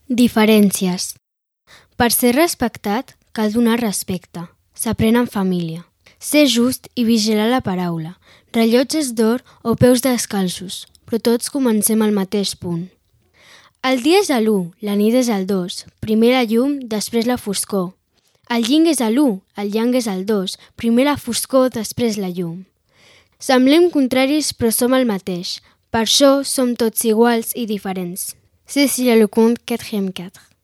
Diferències. Per ser respectat, cal donar respecte. S'aprèn en família. Ser just i vigilar la paraula. Rellotges d'or o peus descalços, però tots comencem al mateix punt. El dia és a l'1, la nit és al 2, primer la llum, després la foscor. El yin és a l'1, el yang és al 2, primer la foscor, després la llum. Semblem contraris però som el mateix, per això som tots iguals i diferents. Cécile Lecomte, 4e 4.